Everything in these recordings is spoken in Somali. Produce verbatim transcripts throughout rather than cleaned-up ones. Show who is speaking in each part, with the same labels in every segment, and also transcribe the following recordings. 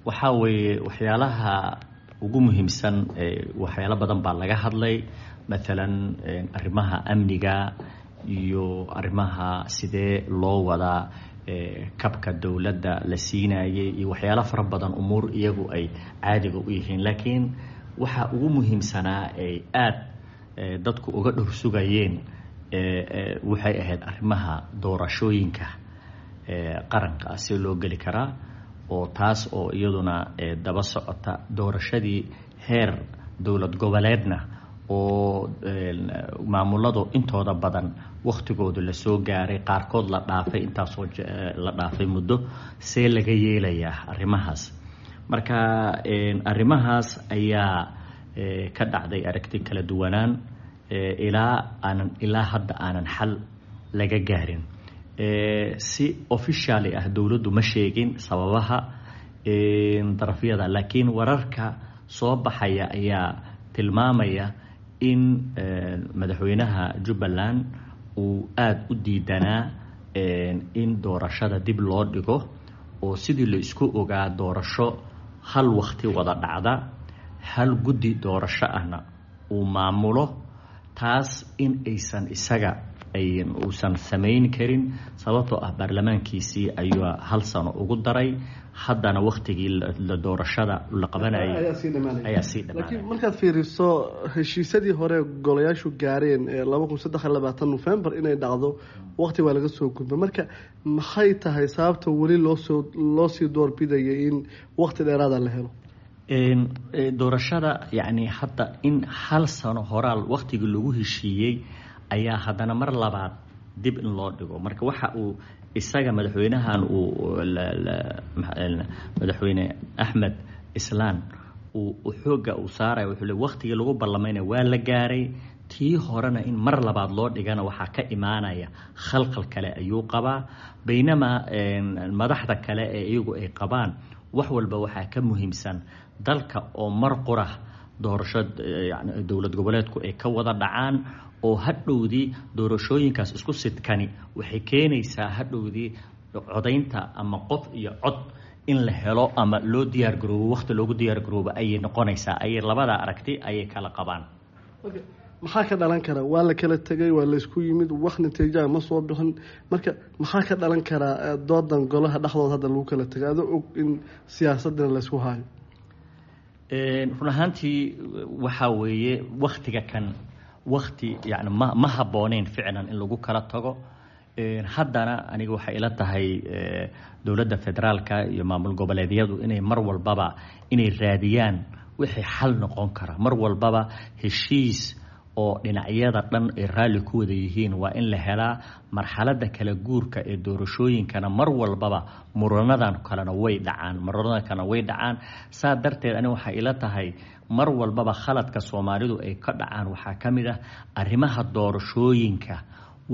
Speaker 1: Waxaa weeye waxyaalaha ugu muhiimsan, waxyaalo badan baa laga hadlay, mathalan arrimaha amniga iyo arrimaha sidee loo wadaa kabka dowladda la siinayay iyo waxyaalo fara badan, umuur iyagu ay caadiga u yihiin. Laakiin waxa ugu muhiimsanaa ay aada dadku uga dhor sugayeen waxay ahayd arrimaha doorashooyinka qaranka see loo geli karaa, oo taas oo iyaduna daba socota doorashadii heer dowlad goboleedna oo maamuladu intooda badan wakhtigoodu lasoo gaaray, qaarkood la dhaafay, intaasoo la dhaafay muddo, see laga yeelayaa arrimahaas. Marka arrimahaas ayaa ka dhacday aragti kala duwanaan ilaa aanan ilaa hadda aanan xal laga gaarin. Si officially ah dowladdu ma sheegin sababaha darafyada, laakiin wararka soo baxaya ayaa tilmaamaya in madaxweynaha Jubbaland uu aada u diidanaa in doorashada dib loo dhigo, oo sidii la isku ogaa doorasho hal wakti wada dhacda, hal guddi doorasho ahna uu maamulo, taas in aysan isaga uusan samayn karin, sababtoo ah baarlamaankiisii ayuu hal sano ugu daray, haddana waktigii la doorashada la qabanayay ayaa sii
Speaker 2: dhamaanay. Laakiin markaad fiiriso heshiisyadii hore golayaashu gaareen ee laba kun saddex iyo labaatan November inay dhacdo, waqti waa laga soo gudba. Marka maxay tahay sababta weli loosoo loo sii doorbidaya in waqti dheeraada la helo?
Speaker 1: Doorashada yacni hadda in hal sano horaal waktigii lagu heshiiyey ayaa haddana mar labaad dib in loo dhigo. Marka waxa uu isaga madaxweynahan uu madaxweyne Axmed Islaan uu xoogga uu saaraya wuxuu le waktigii lagu ballamayna waa la gaaray, tii horena in mar labaad loo dhigana waxaa ka imaanaya khalkhal kale ayuu qabaa. Baynamaa madaxda kale ee iyagu ay qabaan wax walba waxaa ka muhiimsan dalka oo mar qura doorasho yani dowlad goboleedku ay ka wada dhacaan, oo hadhowdii doorashooyinkaas isku sidkani waxay keenaysaa hadhowdii codaynta ama qof iyo cod in la helo ama loo diyaar garoobo, waqti loogu diyaar garoobo ayay noqonaysaa. Ayay labada aragti ayay kala qabaan.
Speaker 2: Maxaa ka dhalan kara? Waa la kala tegay, waa laysku yimid, wax natiijaha ma soo bixin. Marka maxaa ka dhalan karaa doodan golaha dhexdooda hadda lagu kala tegay, adoo og in siyaasadana laysku hayo?
Speaker 1: Run ahaantii waxaa weeye waktiga kan wakti yani ma ma habbooneyn ficlan in lagu kala tago. Haddana aniga waxay ila tahay dowladda federaalka iyo maamul goboleedyadu inay mar walbaba inay raadiyaan wixii xal noqon kara. Mar walbaba heshiis oo dhinacyada dhan ay raalli ku wada yihiin waa in la helaa. Marxaladda kala guurka ee doorashooyinkana mar walbaba muranadan kalena way dhacaan, muranadan kalena way dhacaan. Saa darteed ani waxay ila tahay mar walbaba khaladka Soomaalidu ay ka dhacaan waxaa ka mid ah arrimaha doorashooyinka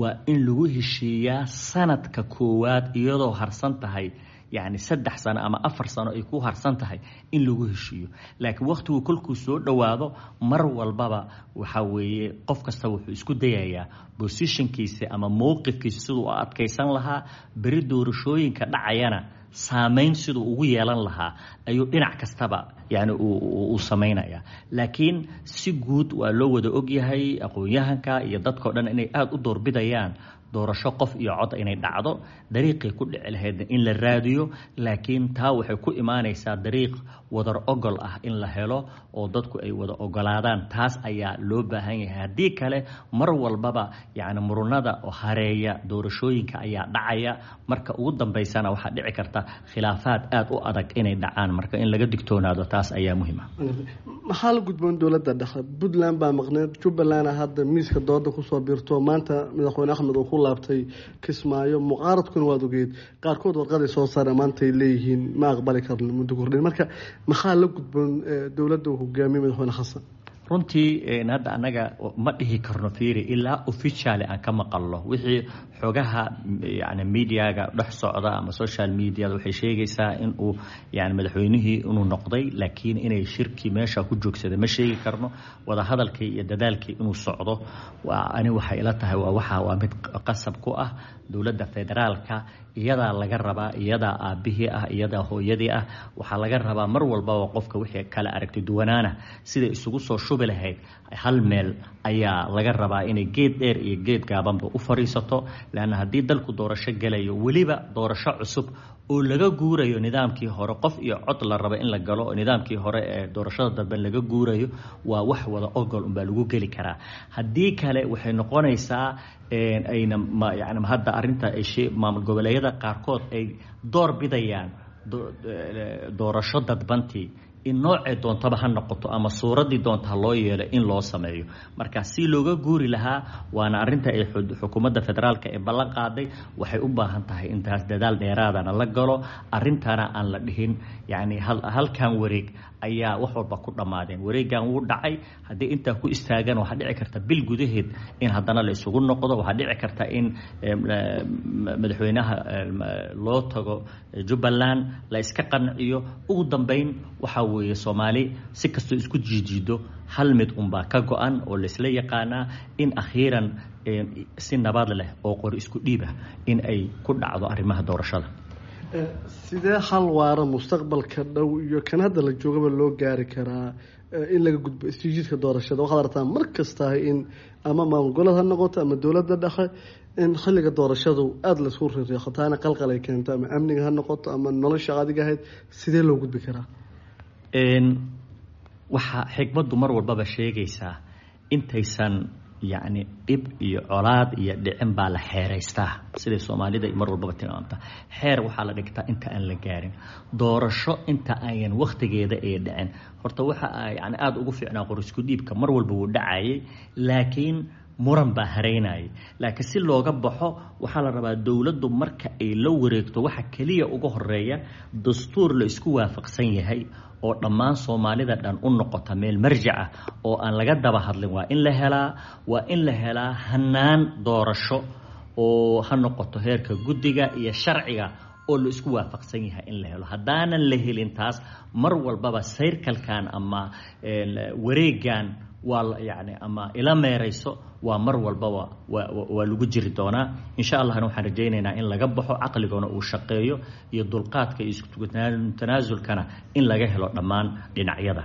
Speaker 1: waa in lagu heshiiyaa sanadka koowaad iyadoo harsan tahay, yacni saddex sano ama afar sano ay ku harsan tahay in lagu heshiiyo. Laakiin wakhtigu kolkuu soo dhowaado mar walbaba waxaa weeye qof kasta wuxuu isku dayayaa positionkiisa ama mowqifkiisa siduu u adkaysan lahaa, beri doorashooyinka dhacayana saameyn siduu ugu yeelan lahaa ayuu dhinac kastaba yani uu samaynaya. Laakiin si guud waa loo wada ogyahay aqoon-yahanka iyo dadkao dhan inay aada u doorbidayaan doorasho qof iyo cod inay dhacdo, dariiqay ku dhici lahaydna in la raadiyo. Laakiin taa waxay ku imaanaysaa dariiq wadar ogol ah in la helo oo dadku ay wada ogolaadaan, taas ayaa loo baahan yahay. Haddii kale mar walbaba yacni murunada oo hareeya doorashooyinka ayaa dhacaya, marka ugu dambaysana waxaa dhici karta khilaafaad aada u adag inay dhacaan. Marka in laga digtoonaado taas ayaa muhiim ah.
Speaker 2: Maxaa la gudboon dowladda dhexe? Puntland baa maqneed, Jubbalandna hadda miiska dooda kusoo biirto. Maanta madaxweyne Axmed uu ku laabtay Kismaayo, mucaaradkuna waad ogeed qaarkood warqaday soo saareen maantay leeyihiin ma aqbali karno muddo kordhin. Marka maxaa la gudboon dowladda uu hogaamiye madaxweyne Xasan?
Speaker 1: Runtii hadda annaga ma dhihi karno, fiiri, ilaa officially aan ka maqalno. Wixii xogaha yani mediaga dhex socda ama social mediada waxay sheegaysaa in uu yani madaxweynihii inuu noqday, laakiin inay shirkii meesha ku joogsaday ma sheegi karno. Wadahadalkii iyo dadaalkii inuu socdo waa ani waxay ila tahay waa waxa waa mid qasab ku ah dowladda federaalka Iyadaa laga rabaa, iyadaa aabbihii ah, iyadaa hooyadii ah. Waxaa laga rabaa mar walbaba qofka wixii kala aragti duwanaana siday isugu soo shubi lahayd hal meel ayaa laga rabaa, inay geed dheer iyo geed gaabanba u fariisato. Leanna haddii dalku doorasho gelayo, weliba doorasho cusub oo laga guurayo nidaamkii hore, qof iyo cod la rabo in la galo, oo nidaamkii hore ee doorashada dambe laga guurayo, waa wax wada ogol unbaa lagu geli karaa. Haddii kale waxay noqonaysaa ayna yani hadda arrinta ay maamul goboleedyada qaarkood ay door bidayaan doorasho dadbantii in noocee doontaba ha noqoto ama suuraddii doonta ha loo yeelo in loo sameeyo. Marka si looga guuri lahaa, waana arrinta ay xukuumadda federaalka ee ballan qaaday, waxay u baahan tahay intaas dadaal dheeraadana la galo, arrintana aan la dhihin yacni halkan wareeg ayaa wax walba ku dhammaadeen. Wareegan wuu dhacay, haddii intaa ku istaagan waxaa dhici karta bil gudaheed in haddana la isugu noqdo. Waxaa dhici karta in madaxweynaha loo tago Jubbaland, la iska qanciyo. Ugu dambeyn waxaa weeye Soomaali si kastoo isku jiijiido hal mid unbaa ka go-an oo laisla yaqaanaa, in akhiiran si nabad leh oo qori isku dhiib ah in ay ku dhacdo arrimaha doorashada.
Speaker 2: Sidee hal waara mustaqbalka dhow iyo kan hadda la joogaba loo gaari karaa in laga gudbo isjiidka doorashada? Waxaad aragtaa mar kastahay in ama maamul goboleed ha noqoto ama dowladda dhexe in xilliga doorashadu aada laisku riiriixo, taana qalqal ay keento, ama amniga ha noqoto ama nolosha adiga ahayd. Sidee loo gudbi karaa?
Speaker 1: Waxaa xikmaddu mar walbaba sheegaysaa intaysan yacni dhib iyo colaad iyo dhicin baa la xeeraystaa, siday Soomaalida mar walbaba tilmaamta. Xeer waxaa la dhigtaa inta aan la gaarin doorasho, inta ayan wakhtigeeda ee dhicin. Horta waxa yani aada ugu fiicnaa qorisku dhiibka mar walba wuu dhacayay, laakiin muran baa hareynayay. Laakiin si looga baxo waxaa la rabaa dowladdu marka ay la wareegto waxa keliya uga horeeya dastuur la isku waafaqsan yahay oo dhammaan Soomaalida dhan u noqota meel marjac ah oo aan laga daba hadlin. Waa in la helaa, waa in la helaa hanaan doorasho oo ha noqoto heerka guddiga iyo sharciga oo la isku waafaqsan yahay in la helo. Haddaanan la helin taas, mar walbaba sayrkalkan ama wareegan waa yani ama ila meerayso waa mar walbaba waa lagu jiri doonaa. Insha Allahna waxaan rajaynaynaa in laga baxo, caqligona uu shaqeeyo iyo dulqaadka iyo isku tanaasulkana in laga helo dhammaan dhinacyada.